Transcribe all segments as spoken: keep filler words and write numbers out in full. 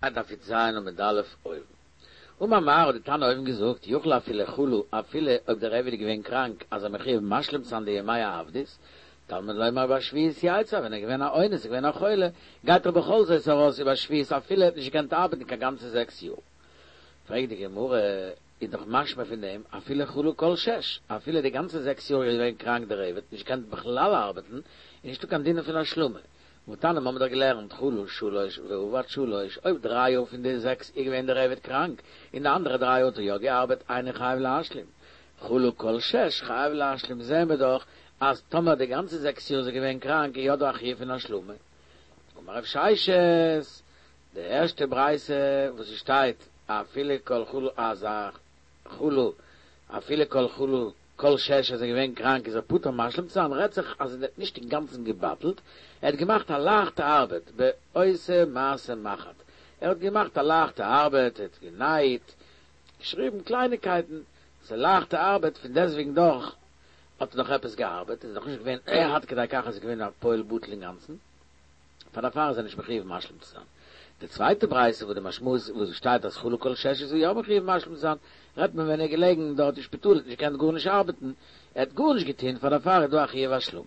דף י"ז עמוד א' אויבן. אמר מר האט די תנא אויבן געזאגט, יוכל אפילו חלה, אפילו אויב דער עבד איז געווען קראנק, אז ער מחויב משלים צו זיין די ימי העבדות, תלמוד לומר ובשביעית יצא, ווען ער איז געווען א אונס, איז געווען א חולה, גייט ער בכל זאת ארויס ובשביעית אפילו ער האט נישט געקענט ארבעטן קיין גאנצע זעקס יאר. פרעגט די גמרא, איז דאך משמע פון דעם, אפילו חלה כל שש, אפילו די גאנצע זעקס יאר איז געווען קראנק דער עבד, נישט געקענט בכלל ארבעטן, איז נישטא קיין דין פון השלמה. והתניא האבן מיר דאך געלערנט חלה שלש ועבד שלש, אויב דריי יאר פון די זעקס איז געווען דער עבד קראנק, און די אנדערע דריי יאר האט ער יא געארבעט, אינו חייב להשלים. חלה כל שש חייב להשלים, זעהן מיר דאך אז טאמער די גאנצע זעקס יאר איז ער געווען קראנק איז יא דא א חיוב פון השלמה. אמר רב ששת, די ערשטע ברייתא וואס עס שטייט אפילו כל חלה אז א חלה אפילו כל חלה כל שש אז ער איז געווען קראנק איז ער פטור משלים צו זיין, רעדט זיך אז ער האט נישט אינגאנצן געבטלט, ער האט געמאכט א לייכטע ארבעט, בעושה מעשה מחט, ער האט געמאכט א לייכטע ארבעט, ער האט גענייט, געשריבן קלייניקייטן, ס'איז לייכטע ארבעט, פון דעסטוועגן דאך האט ער נאך עפעס געארבעט, איז נאך נישט געווען עד כדי כך אז ער איז געווען א פועל בטל אינגאנצן. פאר דערפאר איז ער נישט מחויב משלים צו זיין. די צווייטע ברייתא וואס די משמעות וואס שטייט אז חלה כל שש איז ער יא מחויב משלים צו זיין, רעדט מען ווען ער איז געלעגן דארט אין שפיטאל האט נישט געקענט גארנישט ארבעטן, ער האט גארנישט געטון, פאר דערפאר איז דא א חיוב השלמה.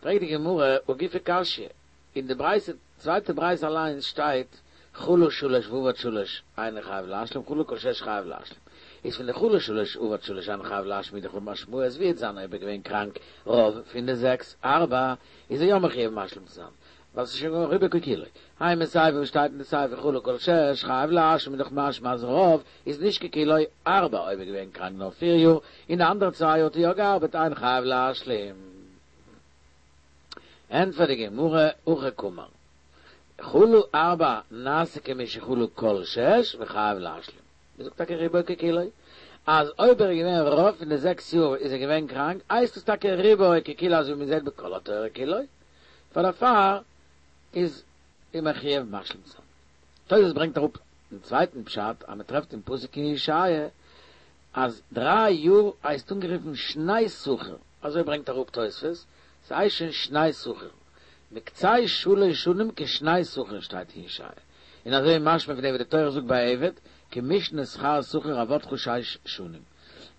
פרעגט די גמרא, הא גופא קשיא, אין די ברייתא, צווייטע ברייתא אליינס שטייט חלה שלש ועבד שלש אינו חייב להשלים חלה כל שש חייב להשלים, איז פון די חלה שלש ועבד שלש אינו חייב להשלים איז דאך משמעות וועט זיין אויב ער געווען קראנק רוב פון די זעקס ארבע איז ער יא מחויב משלים צו זיין ווייל ס'איז שוין געווען רובו ככולו האי מסיפא וואס שטייט אין די סיפא חלה כל שש חייב להשלים איז דאך משמע אז רוב איז נישט ככולו ארבע אויב ער געווען קראנק נאר פיר יאר און די אנדערע צוויי יאר האט ער יא געארבעט אינו חייב להשלים. ענטפערט די גמרא הכי קאמר חלה ארבע נעשה כמי שחלה כל שש וחייב להשלים. מ'זאגט טאקע רובו ככולו, אז אויב ער איז געווען רוב פון די זעקס יאר איז ער געווען קראנק, הייסט עס טאקע רובו ככולו אזוי ווי מ'זעט בכל התורה כולו, פאר דערפאר איז ער מחויב משלים צו זיין. תוס' ברענגט אראפ דעם צווייטן פשט אז מ'טרעפט אין פסוק אין ישעיה אז דריי יאר הייסט אנגערופן שני שכיר, אזוי ברענגט אראפ תוספות, ס'הייסט שוין שני שכיר, מקצה שלש שנים כשני שכיר שטייט אין ישעיה, און אזוי איז משמע פון דעם וואס די תורה זאגט ביי עבד, כמשנה שכר שכיר עבדך שש שנים,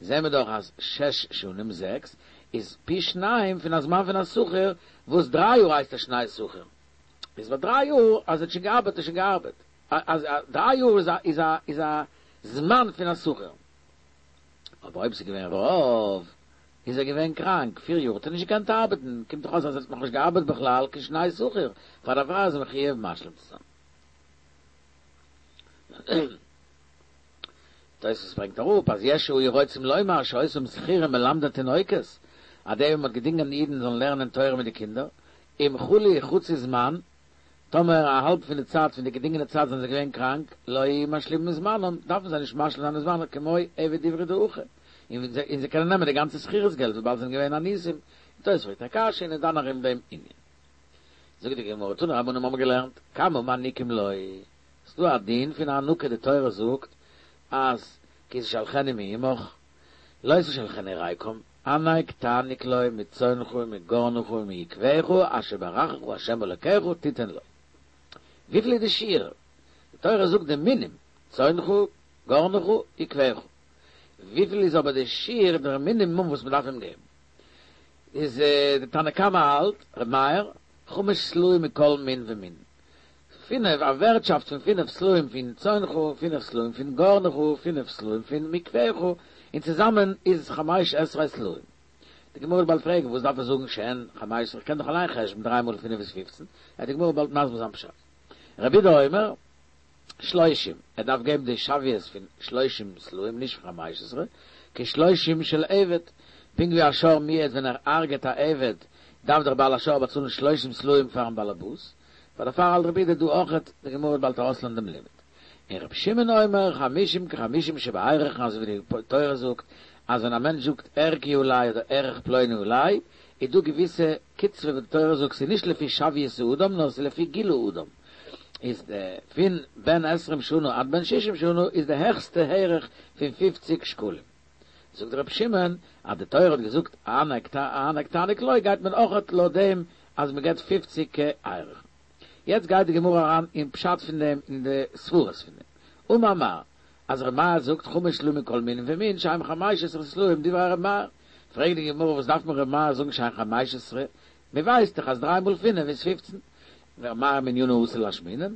זעהן מיר דאך אז שש שנים, זעקס, איז פי שניים פון א זמן פון א שכיר, וואס דריי יאר הייסט א שני שכיר, איז ביי דריי יאר אז ער האט שוין געארבעט האט ער שוין געארבעט, אז דריי יאר איז א איז א איז א זמן פון א שכיר, אבער אויב ס'איז געווען רוב איז ער געווען קראנק פיר יאר האט ער נישט געקענט ארבעטן, קומט דאך אויס אז ער האט נאכנישט געארבעט בכלל כשני שכיר, פאר דערפאר איז ער מחויב משלים צו זיין. תוספות ברענגט אראפ אז יש שהיו רוצים לומר שאותם שכירים מלמדי תינוקות, אז די וואס מ'האט געדינגען די אידן זאלן לערנען תורה מיט די קינדער, אם חלו חצי זמן, טאמער א האלב פון די צייט פון די געדינגענע צייט זענען זיי געווען קראנק, לא משלימים זמנם, דארפן זיי נישט משלים זיין די זמן כמו עבד עברי דהכי, און זיי קענען נעמען די גאנצע שכירות געלט וויבאלד זיי זענען געווען אנוסים, און תוס' פרעגט א קשיא און איז דן ארום דעם ענין. זאגט די גמרא, תנו רבנן האבן געלערנט, כמה מעניקים לו, ס'דא א דין פון הענקה די תורה זאגט אז כי תשלחנו מעמך, לא תשלחנו ריקם, הענק תעניק לו מצאנך ומגרנך ומיקבך אשר ברכך ה' אלקיך תתן לו. וויפיל איז די שיעור? די תורה זאגט די מינים, צאנך, גרנך, יקבך. וויפיל איז אבער די שיעור דער מינימום וואס מ'דארף אים געבן? איז די תנא קמא האלט, ר' מאיר, חמש סלעים מכל מין ומין. פינף, א ווערטשאפט פון פינף סלעים פון צאנך, פינף סלעים פון גרנך, פינף סלעים פון מקבך, און צוזאמען איז חמש עשרה סלעים. די גמרא וועט באלד פרעגן, וואס דארף ער זאגן שהן חמש עשרה, איך קען דאך אליין חשבון, דריי מאל פינף איז פופצן, וועט די גמרא באלד מסביר זיין פשט. רבי יהודה אומר, שלושים, ער דארף געבן די שוויות פון שלושים סלעים נישט פון חמש עשרה, כשלושים של עבד, פונקט ווי א שור מועד ווען ער הרג'עט א עבד דארף דער בעל השור באצאלן שלושים סלעים פארן בעלעבאס, פאר דערפאר האלט רבי יהודה דא אויכעט, די גמרא וועט באלד ארויסלערנען דעם לימוד. און רבי שמעון אומר חמישים כחמישים שבערכין אזוי ווי די תורה זאגט אז ווען א מענטש זאגט ערכי עלי אדער ערך פלוני עלי איז דא געוויסע קצבה וואס די תורה זאגט ס'איז נישט לפי שוויות האדם נאר ס'איז לפי גיל האדם איז די פון בן עשרים שנה עד בן שישים שנה איז די העכסטע ערך פון פופציג שקלים. זאגט רבי שמעון אז די תורה האט געזאגט הענק תעניק לו גייט מען אויכעט לויט דעם אז מען געבט פופציג כערך. יעצט גייט די גמרא אריין אין פשט פון דעם, אין די סברות פון דעם. אמר מר, אז ר' מאיר זאגט חמש סלעים מכל מין ומין שהן חמש עשרה סלעים דברי ר' מאיר. פרעגט די גמרא וואס דארף מיר ר' מאיר זאגן שהן חמש עשרה? מען ווייסט דאך אז דריי מאל פינף איז פופצן. מאי מנינא אתא לאשמועינן?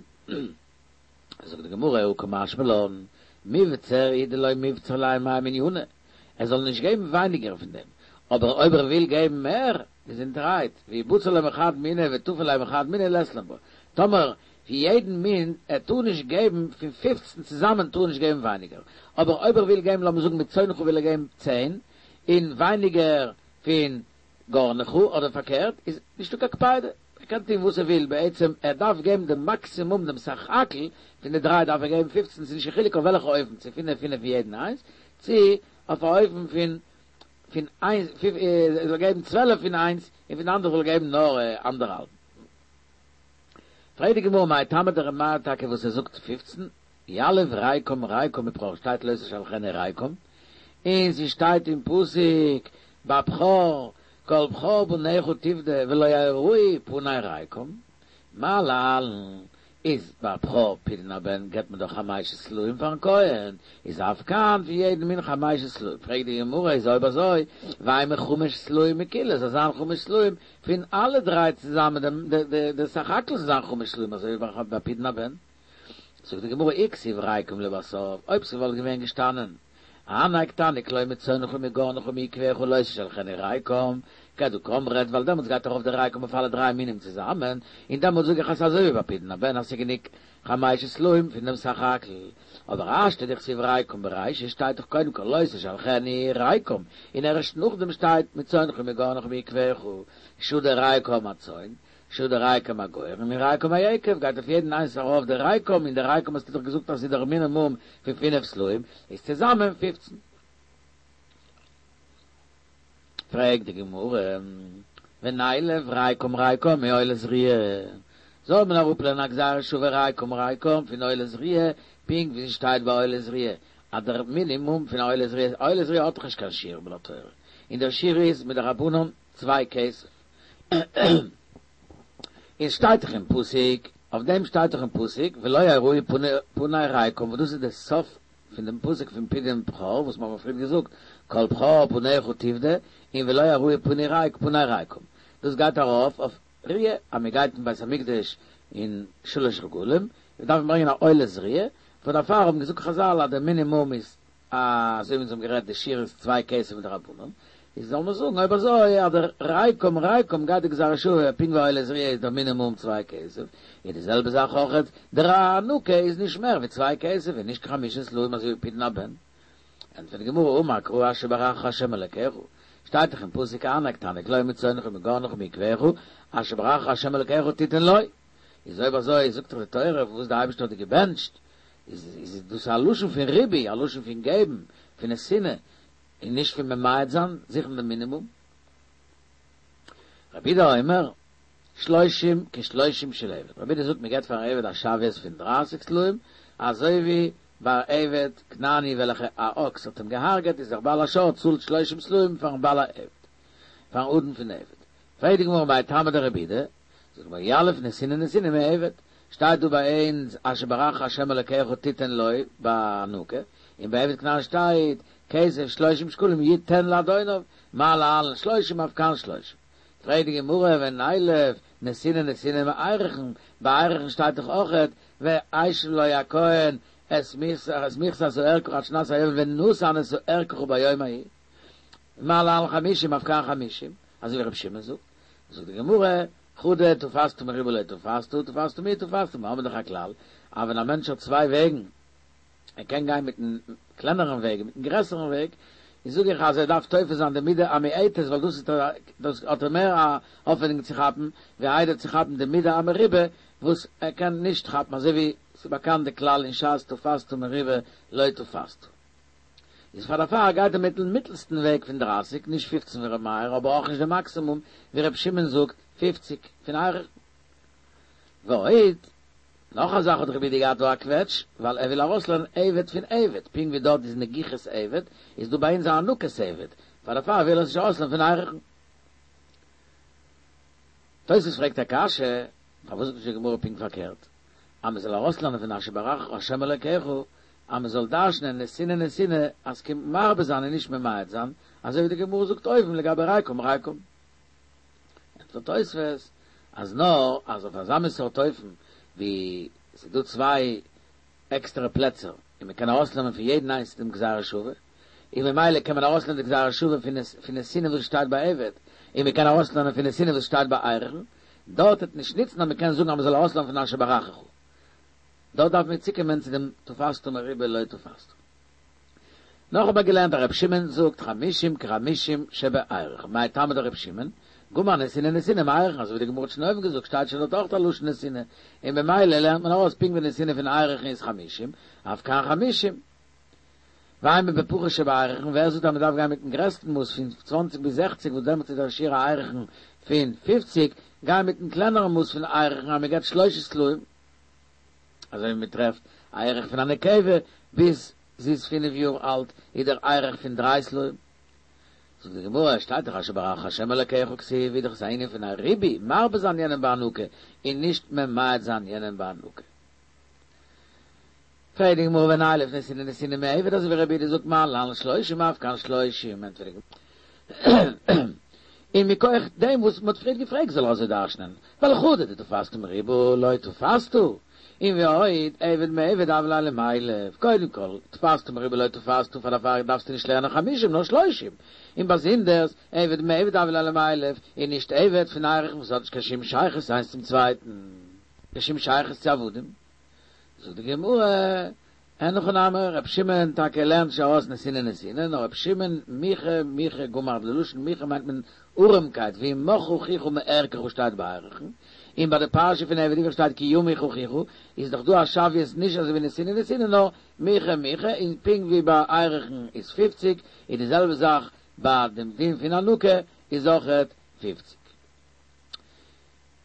זאגט די גמרא הא קא משמע לן, מבצר הוא דלא מבצר ליה מאי מנינא, ער זאל נישט געבן ווייניגער פון דעם, אבער אויב ער וויל געבן מער, געזונטערהייט, ואי בצר ליה מחד מיניה וטפי ליה מחד מיניה לית לן בה, טאמער פון יעדן מין, ער טאר נישט געבן פון פֿופֿצן צוזאמען טאר ער נישט געבן ווייניגער, אבער אויב ער וויל געבן לאמיר זאגן מצאנך וויל ער געבן צען, און ווייניגער פון גרנך אדער פארקערט, איז נישטא קיין קפידה, ער קען טון וואס ער וויל, בעצם ער דארף געבן די מאקסימום דעם סך הכל פון די דריי דארף ער געבן פֿופֿצן, ס'איז נישט קיין חילוק אויף וועלכע אופן, צו פינף פינף פון יעדן איינס, צו אויף א אופן פון פון איינס, ער זאל געבן צוועלף פון איינס און פון די אנדערע זאל ער געבן נאר אנדערהאלבן. פרעגט די גמרא מאי טעמא דר' מאיר טאקע וואס ער זאגט פֿופֿצן, יליף ריקם ריקם מבכור שטייט לא תשלחנו ריקם, און ס'שטייט אין פסוק ביי בכור כל בכור בניך תפדה ולא יראו פני ריקם, מה להלן איז ביי בכור פדיון הבן געבט מען דאך חמשה סלעים פארן כהן, איז אף כאן פון יעדן מין חמשה סלעים, פרעגט די גמרא איז אויב אזוי ואימא חמש סלעים מכולהו זאל זיין חמש סלעים פון אלע דריי צוזאמען די סך הכל זאל זיין חמש סלעים אזוי ווי ביי פדיון הבן, זאגט די גמרא אי כתיב ריקם לבסוף אויב ס'וואלט געווען געשטאנען הענק תעניק לו מצאנך ומגרנך ומיקבך לא תשלחנו ריקם, כדקאמרת, ווייל דעמאלטס גייט ארויף די ריקם אויף אלע דריי מינים צוזאמען, און דעמאלטס זאג איך אז ס'איז אזוי ווי ביי פדיון הבן אז ס'איז גענוג חמשה סלעים פון דעם סך הכל. אבער השתא דכתיב ריקם ברישא שטייט דאך קודם כל לא תשלחנו ריקם, און ערשט נאכדעם שטייט מצאנך ומגרנך ומיקבך, שדי ריקם הצאן, שדי ריקם הגורן און ריקם היקב גייט אויף יעדן איינס ארויף די ריקם און די ריקם האסטו דאך געזאגט אז ס'איז דער מינימום פון פינף סלעים איז צוזאמען פופצן. פרעגט די גמרא ונילף ריקם ריקם מעולת ראיה, זאל מען אראפלערנען א גזירה שווה ריקם ריקם פון עולת ראיה, פונקט ווי ס'שטייט ביי עולת ראיה אז דער מינימום פון א עולת ראיה, עולת ראיה האט דאך נישט קיין שיעור מן התורה, און דער שיעור איז מדרבנן צוויי כסף. און שטייט דאך אין פסוק, אויף דעם שטייט דאך אין פסוק ולא יראו פני ריקם וואס דאס איז די סוף פון דעם פסוק פון פדיון בכור וואס מיר האבן פריער געזאגט כל בכור בניך תפדה און ולא יראו פני ריקם, דאס גייט ארויף אויף ראיה אז מען גייט אין בית המקדש אין שלש רגלים דארף מען ברענגען א עולת ראיה, פאר דערפאר האבן געזאגט חזל אז דער מינימום איז אזוי ווי אונז האבן גערעדט די שיעור איז צוויי כסף מדרבנן, איז זאל מען זאגן אויב אזוי אז דער ריקם ריקם גייט די גזירה שוה פונקט ווי עולת ראיה איז דער מינימום צוויי כסף, איז די זעלבע זאך אויכעט דער הענקה איז נישט מער ווי צוויי כסף און נישט קיין חמשה סלעים אזוי ווי פדיון הבן. ענטפערט די גמרא אמר קרא אשר ברכך ה' אלקיך, שטייט דאך אין פסוק הענק תעניק לו מצאנך ומגרנך ומיקבך אשר ברכך ה' אלקיך תתן לו, איז אויב אזוי זאגט דאך די תורה וואס די אייבערשטער האט דיר געבענטשט, איז איז דאס א לשון פון ריבוי, א לשון פון געבן, פון נתינה, און נישט פון ממעט זיין, זוכן דעם מינימום. רבי יהודה אומר, שלושים כשלושים של עבד, רבי יהודה זאגט מען געבט פארן עבד א שוויות פון דרײַסיק סלעים, אזוי ווי ביי עבד כנעני וועלכע א אקס האט אים געהארגעט איז דער בעל השור צאלט שלושים סלעים פארן בעל העבד, פארן אדון פון עבד. פרעגט די גמרא מאי טעמא דרבי יהודה, זאגט די גמרא יליף נתינה נתינה מעבד, שטייט דא ביי אונז אשר ברכך ה' אלקיך תתן לו ביי הענקה, און ביי עבד כנעני שטייט כסף שלושים שקלים יתן לאדוניו, מה להלן שלושים אף כאן שלושים. פרעגט די גמרא ונילף נתינה נתינה מערכין, ביי ערכין שטייט דאך אויכעט והשיב לו הכהן את מכסת ערכך עד שנת היובל ונתן את ערכך ביום ההוא, מה להלן חמישים אף כאן חמישים, אזוי ווי רבי שמעון זאגט, זאגט די גמרא, חדא תפסת מרובה לא תפסת, תפסת מועט תפסת, מיר האבן דאך א כלל, אז ווען א מענטש האט צוויי וועגן, ער קען גיין מיטן קלענערן וועג און מיטן גרעסערן וועג, איז זאג איך אז ער דארף תופס זיין די מידה המועטת ווייל דאס איז דאס האט ער מער א האפענונג צו כאפן, ווי איידער צו כאפן די מידה המרובה וואס ער קען נישט כאפן, אזוי ווי ס'איז באקאנט די כלל אין שס תפסת מרובה לא תפסת. איז פאר דערפאר גייט ער מיטן מיטלסטן וועג פון דרײַסיק, נישט פֿופֿצן ווי ר' מאיר, אבער אויך נישט די מאקסימום ווי ר' שמעון זאגט פֿופֿציק פון ערכין. ועוד, נאך א זאך האט רבי יהודה געהאט דא א קוועטש, ווייל ער וויל ארויסלערנען עבד פון עבד, פונקט ווי דארט איז נגיחת עבד, איז דא ביי אונז הענקת עבד, פאר דערפאר וויל ער עס נישט ארויסלערנען פון ערכין. תוס' פרעגט א קשיא, פארוואס זאגט נישט די גמרא פונקט פארקערט, אז מען זאל ארויסלערנען פון אשר ברכך השם אלוקיך, אז מען זאל דרש'נען נתינה נתינה אז ס'קומט מרבה זיין און נישט ממעט זיין, אזוי ווי די גמרא זאגט אויבן לגבי ריקם ריקם. ענטפערט תוספות אז נאר אז אויף אזא מין סארט אופן ווי ס'איז דא צוויי עקסטערע פלעצער און מען קען ארויסלערנען פון יעדן איינס דעם גזירה שווה, און ממילא קען מען ארויסלערנען די גזירה שווה פון נתינה וואס שטייט ביי עבד, און מען קען ארויסלערנען פון נתינה וואס שטייט ביי ערכין, דארט וועט נישט ניצן אז מען קען זאגן אז מען זאל ארויסלערנען פון אשר ברכך. דארט דארף מען צוקומען צו דעם תפסת מרובה לא תפסת. נאך האט מען געלערנט אז ר' שמעון זאגט חמישים כחמישים שבערכין, מאי טעמא דר' שמעון, גמר נתינה נתינה מערכין, אזוי ווי די גמרא האט שוין אויבן געזאגט שטייט שוין דארט אויך א לשון נתינה, און במילא לערנט מען ארויס פונקט ווי נתינה פון ערכין איז חמישים, אף כאן חמישים. ואימא בפחות שבערכין, ווער זאגט אז מען דארף גיין מיטן גרעסטן מאס פון צוואנציג ביז זעכציג וואס דעמאלטס איז דער שיעור הערכין פון פופציג, גיי מיטן קלענערן מאס פון ערכין אז מען געבט שלושה סלעים, אזוי ווי מען טרעפט א ערך פון א נקבה ביז זי איז פינף יאר אלט איז דער ערך פון דריי סלעים. זאגט די גמרא, שטייט דאך אשר ברכך השם אלקיך כתיב, איז דאך עס א ענין פון א ריבוי, מרבה זיין יענעם בהענקה, און נישט ממעט זיין יענעם בהענקה. פרעגט די גמרא ונילף נתינה נתינה מעבד אזוי ווי רבי יהודה זאגט מה להלן שלושים אף כאן שלושים, ענטפערט די גמרא, און מכח דעם וואס מ'האט פריערט געפרעגט זאל ער אזוי דרש'נען, ווייל חדא דתפסת מרובה לא תפסת, און ועוד עבד מעבד הוה ליה למילף, קודם כל, תפסת מרובה לא תפסת, פאר דערפאר דארפסטו נישט לערנען חמישים נאר שלושים, און באזונדערס, עבד מעבד הוה ליה למילף, און נישט עבד פון ערכין וואס האט נישט קיין שום שייכות איינס צום צווייטן, קיין שום שייכות צו עבדים. זאגט די גמרא, אין הכי נמי, ר' שמעון טאקע לערנט נישט ארויס נתינה נתינה, נאר ר' שמעון מיכי מיכי גמר, די לשון מיכי מיינט מען ארעמקייט, וימך אחיך מערכך שטייט ביי ערכין, און ביי די פרשה פון עבד עברי שטייט כי ימוך אחיך, איז דאך דא א שוויות נישט אזוי ווי נתינה נתינה נאר מיכי מיכי, און פונקט ווי ביי ערכין איז פופציג, איז די זעלבע זאך ביי דעם דין פון הענקה איז אויכעט פופציג.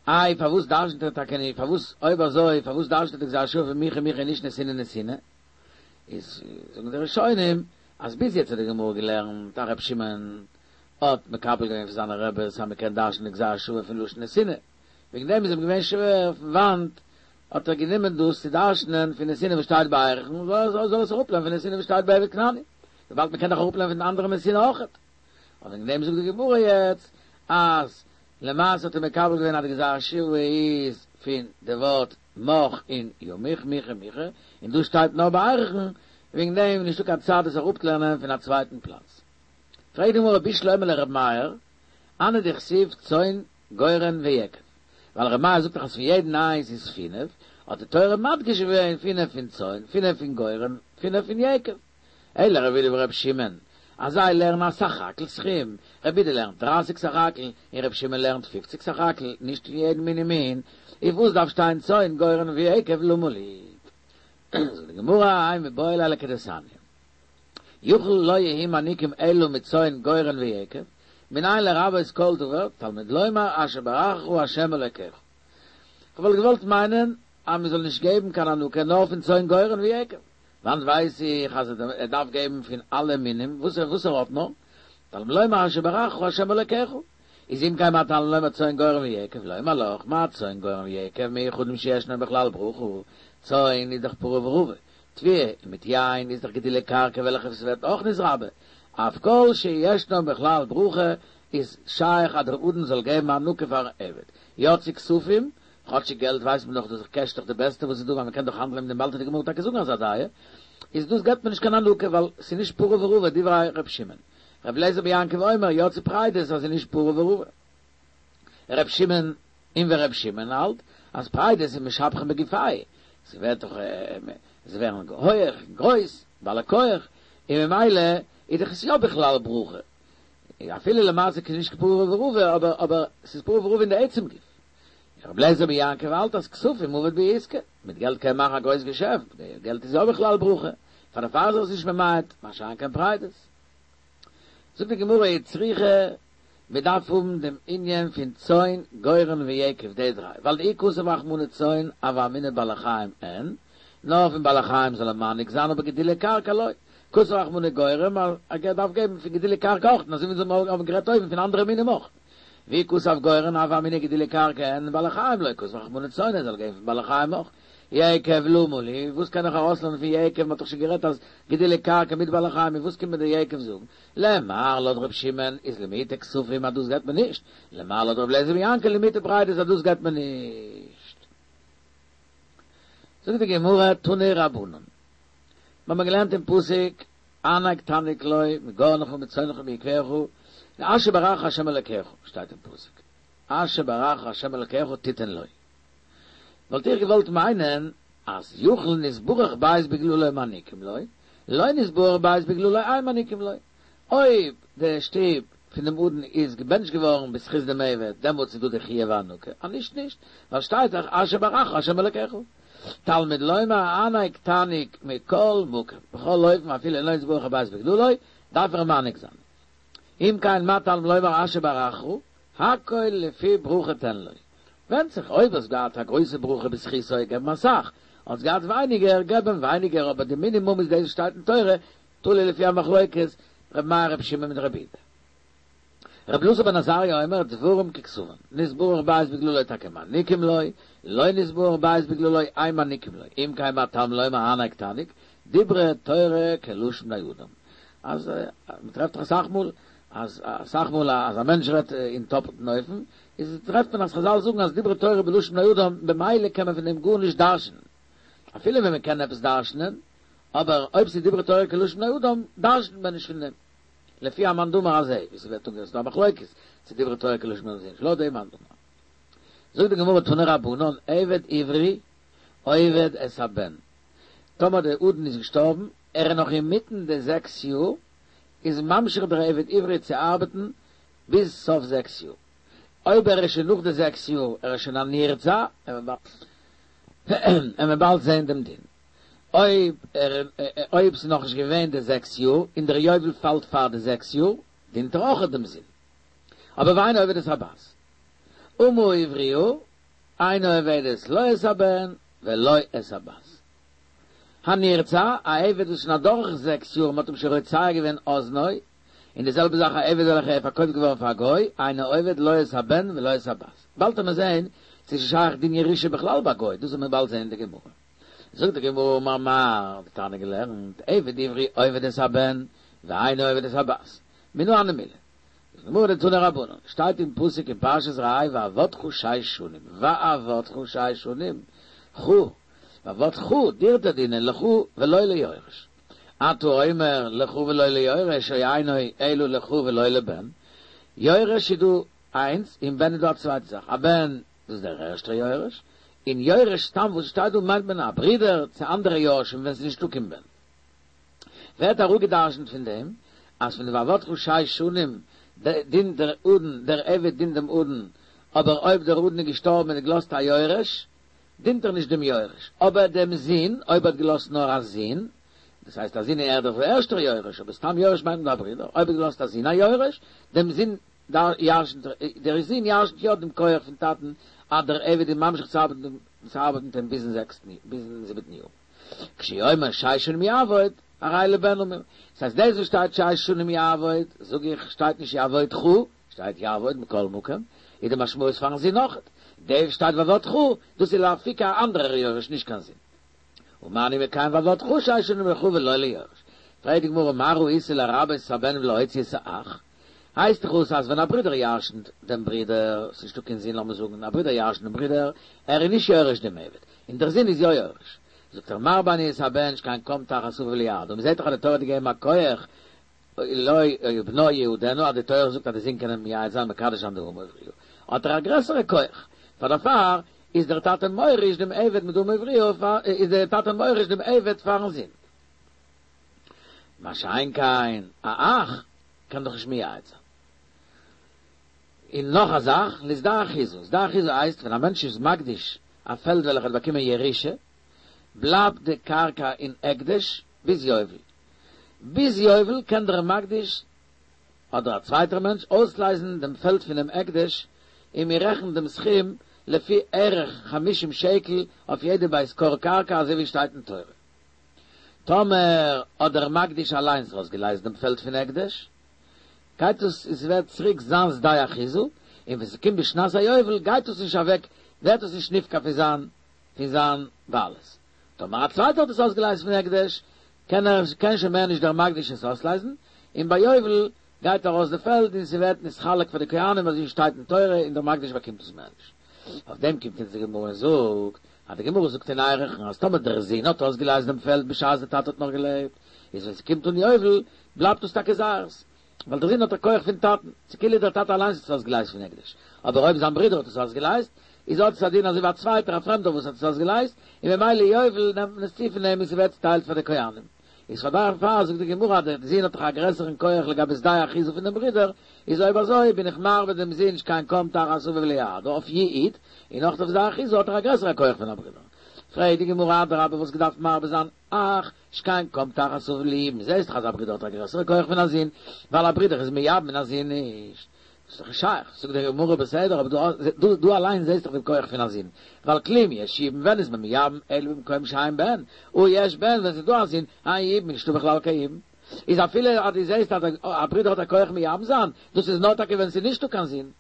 איי פארוואס דרשנ'ט ער טאקע נישט, פארוואס אויב אזוי פארוואס דרשנ'ט ער די גזירה שוה פון מיכי מיכי נישט נתינה נתינה? איז זאגן די ראשונים אז ביז יעצט האט די גמרא געלערנט אז ר' שמעון האט מקבל געווען פון זיינע רעבעס אז מ'קען דרש'נען די גזירה שוה פון לשון נתינה, וועגן דעם איז אים געווען שווער פון וואנט האט ער גענומען דאס צו דרש'נען פון נתינה וואס שטייט ביי ערכין, זאל ער עס אראפלערנען פון נתינה וואס שטייט ביי עבד כנעני, וויבאלד מ'קען דאך אראפלערנען פון אנדערע נתינה אויכעט. און וועגן דעם זאגט די גמרא יעצט אז למעשה האט ער מקבל געווען אז די גזירה שוה איז פון די ווארט מך און ימוך מיכי מיכי, און דא שטייט נאר ביי ערכין, וועגן דעם איז נישטא קיין צד עס אראפלערנען פון א צווייטן פלאץ. פרעגט די גמרא בשלמא לר' מאיר, הני דכתיב צאן גורן ויקב, ווייל ר' מאיר זאגט דאך אז פון יעדן איינס איז פינף, האט די תורה מדגיש געווען פינף פון צאן, פינף פון גורן, פינף פון יקב. אלא לרבי יהודה ורבי שמעון, אז זיי לערנען א סך הכל סכום, רבי יהודה לערנט דרײַסיק סך הכל, און רבי שמעון לערנט פֿופֿציק סך הכל, נישט פון יעדן מין ומין, איז וואס דארף שטיין צאן גורן ויקב למה לי? זאגט די גמרא, האי מיבעי ליה לכדתניא, יכול לא יהו מעניקים אלא מצאן גורן ויקב, מנין לרבות כל דבר, תלמוד לומר אשר ברכך ה' אלוקיך. כ'וואלט געוואלט מיינען אז מ'זאל נישט געבן קיין הענקה נאר פון צאן גורן ויקב. וואנעט ווייס איך אז ער דארף געבן פון אלע מינים וואס ער וואס ער האט נאר, תלמוד לומר אשר ברכך ה' אלוקיך, איז אם כן מה תלמוד לומר צאן גורן ויקב, לומר לך, מה צאן גורן ויקב מיוחדים שישנן בכלל ברכה, צאן איז דאך פרה ורבה, תבואה און מיט יין איז דאך גידולי קרקע וועלכע עס ווערט אויך נתרבה, אף כל שישנן בכלל ברכה איז שייך אז דער אדון זאל געבן הענקה פארן עבד, יצאו כספים, כאטשיג געלט ווייסט מען דאך דאס קעש איז דאך די בעסטע וואס איז דא ווייל מען קען דאך האנדלען מיט דעם באלד וועט די גמרא טאקע זאגן אזא דעה איז דאס געבט מען נישט קיין הענקה ווייל ס'איז נישט פרה ורבה דברי ר' שמעון ר' אליעזר בן יעקב אומר יצאו פרדות אז ס'איז נישט פרה ורבה ר' שמעון און ווי ר' שמעון האלט אז פרדות איז משבחין בגופייהו ס'ווערט דאך זיי ווערן הויעך און גרויס בעלי כח און ממילא איז דאך עס יא בכלל ברכה אפילו למעשה איז נישט פרה ורבה אבער אבער ס'איז פרה ורבה אין די עצם גוף. רבי אליעזר בן יעקב האלט אז כספים עביד בהו עיסקא, מיט געלט קען מען מאכן א גרויס געשעפט, געלט איז יא בכלל ברכה, פאר דערפאר איז עס נישט ממעט, מה שאין כן פרדות. זאגט די גמרא וצריכא, מען דארף האבן דעם ענין פון צאן, גורן ויקב די דריי, ווייל דאי כתב רחמנא צאן הוה אמינא בעלי חיים אין, נאר פון בעלי חיים זאל ער מעניק זיין אבער גידולי קרקע לא, כתב רחמנא גורן, ער דארף געבן פון גידולי קרקע אויך, און אזוי ווי אונז האבן גערעדט אויבן פון אנדערע מינים אויך. ואי כתב גורן הוה אמינא גידולי קרקע אין בעלי חיים לא כתב רחמנא צאן זאל גיין פון בעלי חיים אויך. יקב למה לי, וואס קען איך ארויסלערנען פון יקב, מ'האט דאך שוין גערעדט אז גידולי קרקע מיט בעלי חיים, וואס קומט מיר דער יקב זאגן? למר לויט ר' שמעון איז למעוטי כספים אז דאס גייט מען נישט, למר לויט ר' אליעזר בן יעקב למעוטי פרדות אז דאס גייט מען נישט. זאגט די גמרא תנו רבנן, מיר האבן געלערנט אין פסוק הענק תעניק לו מגרנך ומצאנך ומיקבך, אשר ברכך ה' אלקיך, שטייט אין פסוק, אשר ברכך ה' אלקיך תתן לו. וואלט איך געוואלט מיינען אז יכול נתברך בית בגללו מעניקים לו, לא נתברך בית בגללו אין מעניקים לו. אויב די שטוב פון דעם אדון איז געבענטשט געווארן בזכות דעם עבד, דעמאלטס איז דא די חיוב הענקה, אז נישט נישט, ווייל שטייט דאך אשר ברכך ה' אלקיך. תלמוד לומר הענק תעניק מכל מקום, בכל אופן אפילו לא נתברך הבית בגללו, דארף ער מעניק זיין. אם כן מה תלמוד לומר אשר ברכך, הכל לפי ברכה תן לו. ווענדט זיך אויב האסט געהאט א גרויסע ברכה בזכותו געב אים אסאך, האסט געהאט ווייניגער געב אים ווייניגער אבער די מינימום איז דאס וואס שטייט אין תורה, תלוי לפי המחלוקת ר' מאיר ר' שמעון מיט ר' יהודה. ר' אלעזר בן עזריה אומר דברים ככתבן, נתברך בית בגללו טאקע מעניקים לו, לא נתברך בית בגללו אין מעניקים לו, אם כן מה תלמוד לומר הענק תעניק, דברה תורה כלשון בני אדם. אז מ'טרעפט דאך אסאך מאל אז אסאך מאל אז א מענטש רעדט אין טאפלטן אופן, איז טרעפט מען אז חזל זאגן אז דברה תורה בלשון בני אדם, במילא קען מען פון דעם גארנישט דרש'נען. אפילו ווען מען קען עפעס דרש'נען, אבער אויב ס'איז דברה תורה כלשון בני אדם, דרש'נט מען נישט פון דעם. לפי המאן דאמר הזה, ווי ס'ווערט אנגערופן, ס'איז דא א מחלוקת צו דברה תורה כלשון בני אדם צו נישט, לויט דעם מאן דאמר. זאגט די גמרא תנו רבנן, עבד עברי עובד את הבן, טאמער דער אדון איז געשטארבן, ער איז נאך אינמיטן די זעקס יאר, איז ממשיך דער עבד עברי צו ארבעטן ביז סוף זעקס יאר. אויב ער איז שוין נאך די זעקס יאר, ער איז שוין א נרצע, וועט מען באלד זען דעם דין. אויב ער אויב ס'איז נאכנישט געווען די זעקס יאר, און דער יובל פאלט פאר די זעקס יאר, דינט ער אויכעט דעם זון. אבער ואינה עובד את הבת. אמה העבריה, אינה עובדת לא את הבן ולא את הבת. הנרצע, א עבד וואס איז שוין אדורך זעקס יאר און מ'האט אים שוין רוצע געווען אזנו, און די זעלבע זאך א עבד וועלכער איז פארקויפט געווארן פאר א גוי, אינו עובד לא את הבן ולא את הבת. באלד וועט מען זען צו ס'איז שייך דין ירושה בכלל ביי גוי, דאס וועט מען באלד זען אין די גמרא. זאגט די גמרא אמר מר, די תנא געלערנט, עבד עברי עובד את הבן ואינו עובד את הבת. מנא הני מילי. זאגט די גמרא דתנו רבנן, שטייט אין פסוק אין פרשת ראה ועבדך שש שנים, ועבדך שש שנים, כו, ועבדך דיר וועט ער דינען לך ולא ליורש. אתה אומר לך ולא ליורש או אינו אלא לך ולא לבן, יורש איז דא איינס און בן איז דא א צווייטע זאך, א בן דאס איז דער ערשטער יורש, און יורש סתם וואס שטייט דא מיינט מען א ברודער צו אנדערע יורשים ווען ס'איז נישטא קיין בן. ווערט אראפגעדרשנט פון דעם אז פון די ועבדך שש שנים דינט דער אדון דער עבד דינט דעם אדון, אבער אויב דער אדון איז געשטארבן און האט געלאזט א יורש, דינט ער נישט דעם יורש, אבער דעם זון, אויב ער האט געלאזט נאר א זון, דאס הייסט א זון איז ער דאך דער ערשטער יורש, אבער סתם יורש מיינט מען דא א ברודער, אויב ער האט געלאזט א זון א יורש, דעם זון ירשנט ער, דער זון ירשנט יא דעם כח פון טאטן אז דער עבד איז ממשיך צו ארבעטן צו ארבעטן מיט אים ביזן זעקסטן ביזן זיבעטן יאר. כשהוא אומר שש שנים יעבוד, הרי לבן אמור. דאס הייסט דאס וואס שטייט שש שנים יעבוד, זאג איך, שטייט נישט יעבודך, שטייט יעבוד מכל מקום, איז די משמעות פארן זון אויכעט. דאס שטייט ועבדך, דאס איז לאפוקי א אנדערער יורש נישט קיין זון. ומה אני מקיים ועבדך שש שנים לך ולא ליורש. פרעגט די גמרא מה ראית לרבות את הבן ולהוציא את האח? הייסט דאך אויס אז ווען א ברודער ירשנט דעם ברודער, ס'איז נישטא קיין זון לאמיר זאגן, א ברודער ירשנט דעם ברודער, ער איז נישט יורש דעם עבד, און דער זון איז יא יורש. זאגט ער מרבה אני את הבן שכן קם תחת אביו ליעדו, און מ'זעט דאך אז די תורה האט געגעבן א כח לו ובנו יעדנה אז די תורה זאגט אז די זון קען אים מייעד זיין מקדש זיין די אמה העבריה האט ער א גרעסערע כח, פאר דערפאר איז דער טאטע מוריש דעם עבד מיט די אמה העבריה פאר איז דער טאטע מוריש דעם עבד פארן זון. מה שאין כן א אח קען דאך נישט מייעד זיין. און נאך א זאך, לשדה אחוזה, שדה אחוזה הייסט ווען א מענטש איז מקדיש א פעלד וועלכע האט באקומען ירושה, בלייבט די קרקע אין הקדש ביז יובל. ביז יובל קען דער מקדיש אדער א צווייטער מענטש אויסלייזן דעם פעלד פונעם הקדש, און מען רעכנט דעם סכום לפי ערך חמישים שקל אויף יעדע בית כור קרקע אזוי ווי שטייט אין תורה. טאמער האט דער מקדיש אליינס אויסגעלייזט דעם פעלד פון הקדש, גייט עס עס ווערט צוריק זיין שדה אחוזה, און ווען ס'קומט בשנת היובל גייט עס נישט אוועק, ווערט עס נישט נפקע פון זיין פון זיין בעלות. טאמער א צווייטער האט עס אויסגעלייזט פון הקדש, קען ער קען שוין מער נישט דער מקדיש עס אויסלייזן, און ביי יובל גייט ארויס די פעלד און ס'ווערט נתחלק פאר די כהנים אזוי שטייט אין תורה און דער מקדיש באקומט עס מער נישט. אויף דעם קומט אונז די גמרא און זאגט, אז די גמרא זאגט אין ערכין אז טאמער דער זון האט אויסגעלייזט דעם פעלד בשעת דער טאטע האט נאך געלעבט, איז ווען ס'קומט אן יובל בלייבט עס טאקע זייערס, ווייל דער זון האט א כח פון טאטן, ס'איז כאילו דער טאטע אליינס האט עס אויסגעלייזט פון הקדש, אבער אויב זיין ברודער האט עס אויסגעלייזט, איז האט עס א דין אזוי ווי א צווייטער א פרעמדער וואס האט עס אויסגעלייזט, און ממילא יובל נעמט מען עס צו פון אים און ס'ווערט צוטיילט פאר די כהנים. איז פאר דערפאר זאגט די גמרא אז דער זון האט דאך א גרעסערן כח לגבי שדה אחוזה פון דעם ברודער, איז אויב אזוי בין איך מרבה דעם זון שכן קם תחת אביו ליעדה אויף יעוד, און אויך אויף שדה אחוזה האט ער א גרעסערע כח פון א ברודער. פרעגט די גמרא אדרבה וואלסט געדארפט מרבה זיין אח שכן קם תחת אביו ליבום, זעסט דאך אז א ברודער האט א גרעסערע כח פון א זון, ווייל א ברודער איז מייבם און א זון נישט. דאס איז דאך נישט שייך. זאגט די גמרא בסדר, אבער דא דא אליין זעסט דאך דעם כח פון א זון, ווייל כלום יש יבום ווען איז מען מייבם אלא במקום שאין בן, אי יש בן ווען ס'איז דא א זון, אין יבום איז נישטא בכלל קיין יבום. איז אפילו אז דו זעסט אז א ברודער האט א כח מייבם זיין, דאס איז נאר טאקע ווען ס'איז נישטא קיין זון.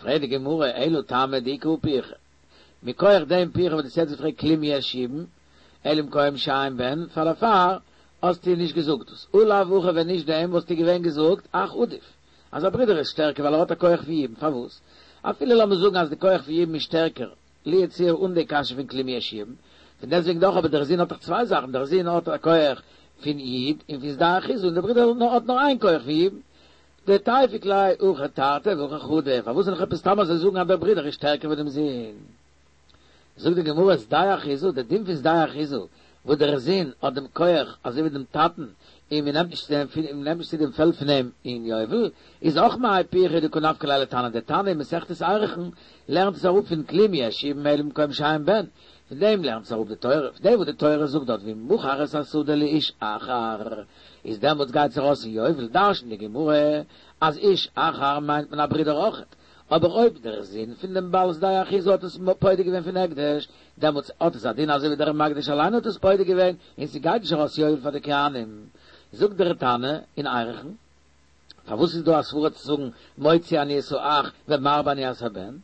פרעגט די גמרא אלא טעמא דאיכא הא פירכא, מכח דעם פירכא וואס דו האסט יעצט געפרעגט כלום יש יבום, אלא במקום שאין בן, פאר דערפאר האסטו נישט געזאגט דאס, אי לאו הכי ווען נישט דעם וואלסטו געווען געזאגט אח עדיף, אז א ברודער איז שטערקער ווייל ער האט א כח פון יבום, פארוואס? אפילו לאמיר זאגן אז די כח פון יבום איז שטערקער, לו יצוייר אן די קשיא פון כלום יש יבום, פון דעסטוועגן דאך אבער דער זון האט דאך צוויי זאכן, דער זון האט א כח פון יעוד און פון שדה אחוזה און דער ברודער האט נאר איין כח פון יבום. דתיפוק ליה הכא תרתי והכא חדא, פארוואס זאל איך עפעס סתם אזוי זאגן אז דער ברודער איז שטערקער ווי דעם זון? זאגט די גמרא שדה אחוזה, דער דין פון שדה אחוזה, וואס דער זון האט דעם כח אזוי ווי דעם טאטן, און מען נעמט נישט צו דעם מען נעמט נישט צו דעם פעלד פון אים אין יובל, איז אויך מהאי פירכא דקא נפקא ליה לתנא, דער תנא אין מסכת ערכין לערנט עס אראפ פון כלום יש יבום אלא במקום שאין בן, פון דעם לערנט עס אראפ די תורה, פון דעם וואס די תורה זאגט דארט ואם מכר את השדה לאיש אחר, איז דעמאלטס גייט עס ארויס אין יובל, דרש'נט די גמרא אז איש אחר מיינט מען א ברודער אויכעט, אבער אויב דער זון פון דעם בעל שדה אחוזה האט עס פודה געווען פון הקדש, דעמאלטס האט עס א דין אזוי ווי דער מקדיש אליין האט עס פודה געווען, און ס'גייט נישט ארויס יובל פאר די כהנים. זאגט דער תנא אין ערכין, פארוואס איז דא א סברא צו זאגן מוציא אני את האח ומרבה אני את הבן?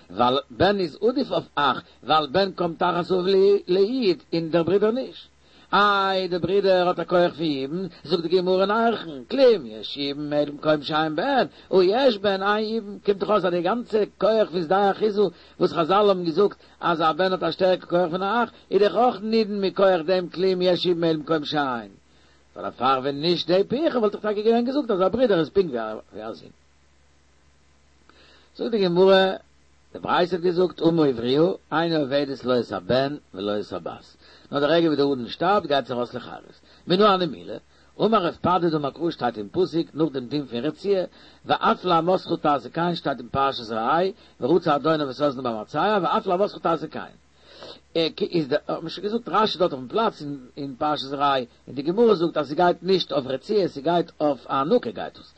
ווייל בן איז עדיף אויף אח, ווייל בן קם תחת אביו ליעוד און דער ברודער נישט. איי דער ברודער האט א כח פון יבום, זאגט די גמרא אין ערכין, כלום יש יבום אלא במקום שאין בן, אי יש בן אין יבום, קומט דאך אויס אז די גאנצע כח פון שדה אחוזה וואס חזל האבן געזאגט אז א בן האט א שטערקער כח פון א אח, איז דאך אויך נידון מכח דעם כלום יש יבום אלא במקום שאין. ווייל דערפאר ווען נישט די פירכא וואלט איך טאקע געווען געזאגט אז א ברודער איז פונקט ווי א זון. זאגט די גמרא, די ברייתא האט געזאגט אמה עבריה אינה עובדת לא את הבן ולא את הבת, נאר די רגע ווי דער אדון שטארבט גייט זי ארויס לחירות. מנא הני מילי, אמר רב פדת אמר קרא שטייט אין פסוק נאך דעם דין פון רציעה, ואף לאמתך תעשה כן שטייט אין פרשת ראה, ורצע אדוניו את אזנו במרצע, ואף לאמתך תעשה כן. איז די, האט מען שוין געזאגט רשי דארט אויפן פלאץ אין פרשת ראה, און די גמרא זאגט אז ס'גייט נישט אויף רציעה ס'גייט אויף הענקה גייט עס,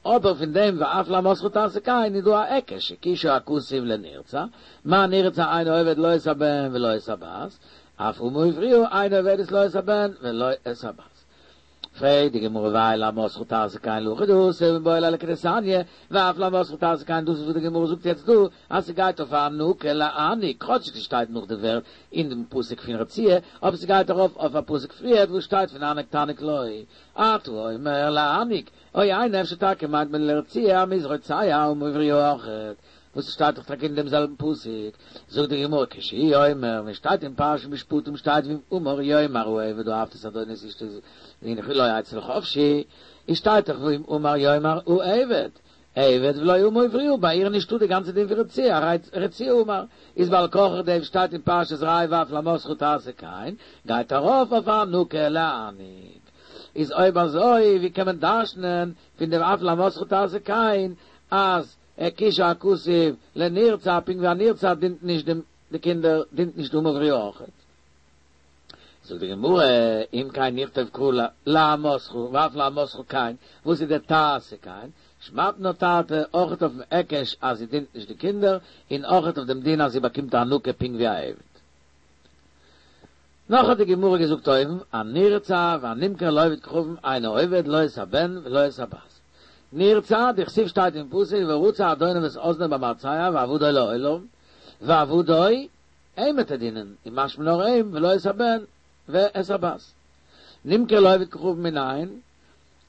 אבער פון דעם ואף לאמתך תעשה כן איז דא א היקש הקישה הכתוב לנרצע, מה נרצע אינו עובד לא את הבן ולא את הבת, אף אמה עבריה אינה עובדת לא את הבן ולא את הבת. פרעגט די גמרא והאי לאמתך תעשה כן להכי דאתא מיבעי ליה לכדתניא, ואף לאמתך תעשה כן דאס איז וואס די גמרא זאגט יעצט דא אז ס'גייט אויף הענקה להעניק כאטש ס'שטייט נאך די ווערט אין דעם פסוק פון רציעה אבער ס'גייט ארויף אויף א פסוק פריערט וואס שטייט פון הענק תעניק לו אתה אומר להעניק או אינו אפשר טאקע מיינט מען לרציעה אז מ'איז רוצע אמה עבריה אויכעט וואס שטייט דאך טאקע אין דעם זעלבן פסוק, זאגט די גמרא כשהוא אומר, ווען שטייט אין פרשת משפטים שטייט ואם אמר יאמר העבד אהבתי את אדוני ואת אשתו והנה לא אצא לחפשי, איז שטייט דאך ואם אמר יאמר העבד, עבד ולא אמה עבריה, ביי איר נישטא די גאנצע דין פון רציעה, רציעה אמר, איז בעל כרחך דעם שטייט אין פרשת ראה ואף לאמתך תעשה כן, גייט ארויף אויף הענקה להעניק. איז אויב אזוי ווי קען מען דרש'נען פון דעם אף לאמתך תעשה כן אז הקישה הכתוב לנרצע, פונקט ווי א נרצע דינט נישט דעם די קינדער, דינט נישט די אמה עבריה אויכעט. זאגט די גמרא, אם כן נכתוב קרא לאמתך ואף לאמתך כן, וואס איז די תעשה כן? שמעת מינה תרתי, אויכעט אויפן היקש אז זי דינט נישט די קינדער, און אויכעט אויף דעם דין אז זי באקומט הענקה פונקט ווי א עבד. נאך האט די גמרא געזאגט אויבן, הנרצע והנמכר לעובד כוכבים אינו עובד לא את הבן ולא את הבת. נרצע, דכתיב שטייט אין פסוק ורצע אדוניו את אזנו במרצע ועבדו לעולם, ועבדו אים וועט ער דינען, און משמע נאר אים ולא את הבן ואת הבת. נמכר לעובד כוכבים מנין,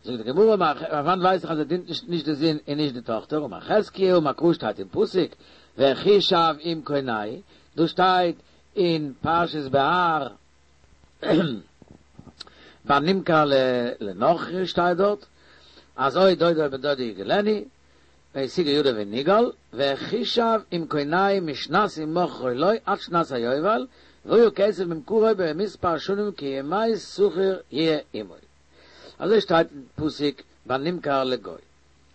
זאגט די גמרא אמר פון וואנעט ווייס איך אז ער דינט נישט נישט די זון און נישט די טאכטער, אמר חזקיה אמר קרא שטייט אין פסוק וכי שב עם קונהו, דא שטייט אין פרשת בהר ביי נמכר לנכרי שטייט דארט אז או דודו או בן דודו יגאלנו וישיגה ידו ונגאל וכי שב עם קונהו משנת המכרו לו עד שנת היובל והיה כסף ממכרו במספר שנים כימי שכיר יהיה עמו. אזוי שטייט אין פסוק ביי נמכר לגוי.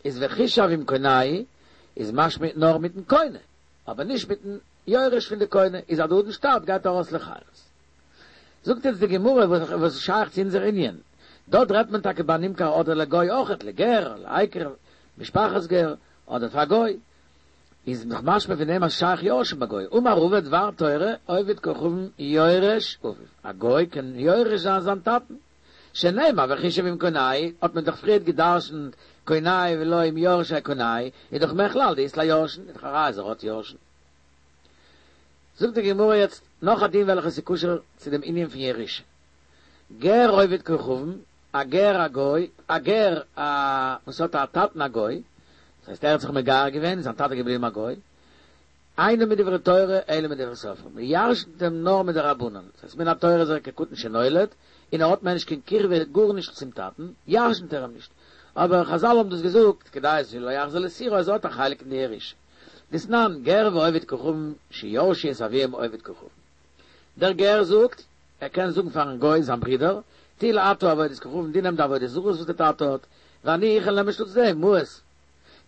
איז וכי שב עם קונהו איז משמע נאר מיטן קונה, אבער נישט מיטן יורש פון די קונה, איז אז דער אדון שטארבט גייט ער ארויס לחירות. זאגט יעצט די גמרא וואס איז שייך צו אונזער ענין, דארט רעדט מען טאקע ביי נמכר אדער לגוי אויכעט, לגר, לעקר, משפחת גר, אדער פאר גוי, איז דאך משמע פון דעם אז שייך יורשין ביי גוי, אמר רבא דבר תורה עובד כוכבים יורש אביו, א גוי קען יורש זיין זיין טאטן, שנאמר וכי שב עם קונהו, האט מען דאך פריערט גע'דרש'נט קונהו ולא עם יורשי קונהו, איז דאך מכלל דאית ליה יורשין, איז דאך א ראיה אז ער האט יורשין. זאגט די גמרא יעצט נאך א דין וועלכע איז קשור צו דעם ענין פון ירושה. גר עובד כוכבים, א גר א גוי, א גר א וואס האט א טאטן א גוי, דאס הייסט ער האט זיך מגייר געווען און זיין טאטע איז געבליבן א גוי, אינו מדברי תורה אלא מדברי סופרים, מען ירש'נט אים נאר מדרבנן, דאס הייסט מן התורה איז ער כקטן שנולד, און ער האט מער נישט קיין קירבה גארנישט צום טאטן, ירש'נט ער אים נישט, אבער חזל האבן דאס געזאגט כדי שלא יחזור לסורו אז ער האט א חלק אין די ירושה. דתנן, גר ועובד כוכבים שירשו את אביהם עובד כוכבים. דער גר זאגט, ער קען זאגן פארן גוי זיין ברודער, טול אתה עבודת כוכבים, דו נעם די עבודה זרות וואס דער טאטע האט, ואני איך וועל נעמען שטאטס דעם, מעות.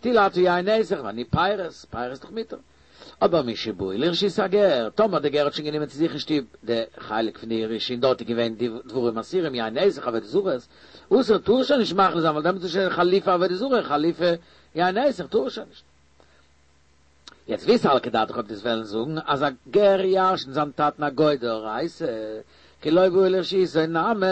טול אתה יין נסך ואני פירות, פירות איז דאך מותר. אבער משבאו לרשות הגר, טאמער דער גר האט שוין גענומען צו זיך אין שטוב די חלק פון די ירושה און דארט איז געווען די דברים אסורים יין נסך עבודה זרות, אסור טאר ער שוין נישט מחליף זיין ווייל דעמאלטס איז שוין חליפי עבודה זרה חליפי יין נסך טאר ער שוין נישט. יעצט ואי סלקא דעתך אויב דו'סט וועלן זאגן אז א גר ירש'נט זיין טאטן א גוי דאורייתא, כי לא באו לרשותו נמי,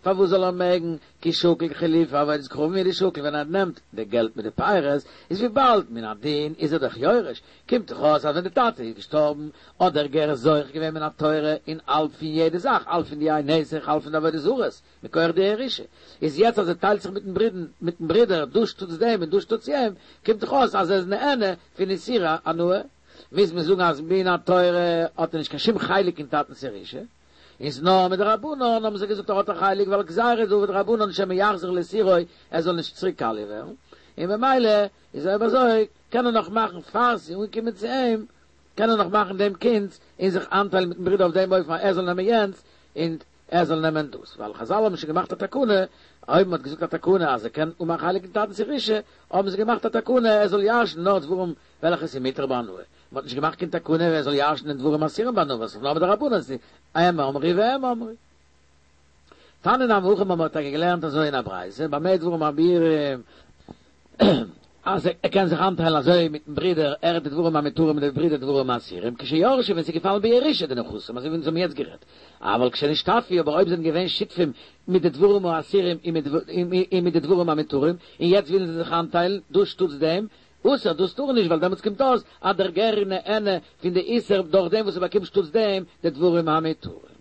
פארוואס זאל ער מעגן, כי שקיל חילופי עבודת כוכבים הוא דשקיל ווען ער נעמט די געלט מיט די פירות, איז וויבאלד מן הדין איז ער דאך יורש, קומט דאך אויס אז ווען די טאטע איז געשטארבן האט דער גר זוכה געווען מן התורה אין האלב פון יעדע זאך, האלב פון די יין נסך האלב פון די עבודה זרות, מכח די ירושה, איז יעצט אז ער טיילט זיך מיטן ברודן מיטן ברודער דא שטאטס דעם און דא שטאטס יעם, קומט דאך אויס אז ער איז נהנה פון איסורי הנאה, מוז מען זאגן אז מן התורה האט ער נישט קיין שום חלק אין טאטנס ירושה, איז נאר מדרבנן האבן זיי געזאגט ער האט א חלק ווייל גזירה דרבנן שמא יחזור לסורו ער זאל נישט צוריק קאליע ווערן, און במילא איז אויב אזוי קען ער נאך מאכן פאר ס'איז אנגעקומען צו אים קען ער נאך מאכן דעם קונץ און זיך איינטיילן מיטן ברודער אויף דעם אופן אז ער זאל נעמען יענץ און ער זאל נעמען דאס, ווייל חזל האבן שוין געמאכט א תקנה, אויב מ'האט געזאגט א תקנה אז ער קען האבן א חלק אין טאטנ'ס ירושה, האבן זיי געמאכט א תקנה ער זאל ירש'ן נאר דברים וועלכע ס'איז מותר בהנאה, מ'האט נישט געמאכט קיין תקנה ער זאל ירש'נען דברים אסורים בהנאה, וואס איז נאר מדרבנן, ס'איז הם אמרו והם אמרו. תניא נמי הכי מ'האט טאקע געלערנט אזוי אין א ברייתא, במה דברים אמורים, אז ער קען זיך איינטיילן אזוי מיטן ברודער, ער די דברים המותרים און דער ברודער דברים האסורים, כשירשו ווען ס'איז געפאלן בירושה די נכסים, אזוי ווי אונז האבן יעצט גערעדט, אבל כשנשתתפו, אבער אויב זענען געווען שותפים מיט די דברים האסורים און מיט די דברים המותרים, און יעצט ווילן זיי זיך איינטיילן, דאס שטאטס דעם, אסור, דאס טאר נישט, ווייל דעמאלטס קומט אויס אז דער גר איז נהנה פון די איסור דורך דעם וואס ער באקומט שטאטס דעם די דברים המותרים.